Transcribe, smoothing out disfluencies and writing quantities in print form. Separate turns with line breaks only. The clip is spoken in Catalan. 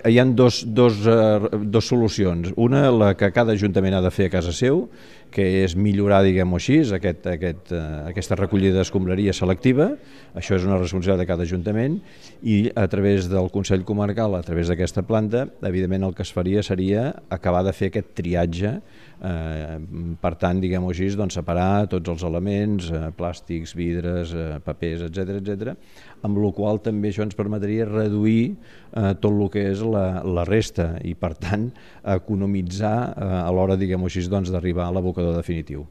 Hi ha dos solucions. Una, la que cada ajuntament ha de fer a casa seu, que és millorar, diguem-ho així, aquesta recollida d'escombraria selectiva. Això és una responsabilitat de cada ajuntament, i a través del Consell Comarcal, a través d'aquesta planta, evidentment el que es faria seria acabar de fer aquest triatge. Per tant, diguem-ho així, doncs, separar tots els elements, plàstics, vidres, papers, etc, amb la qual també això ens permetria reduir tot el que és la resta i, per tant, economitzar a l'hora, diguem-ho així, doncs, d'arribar a l'abocador definitiu.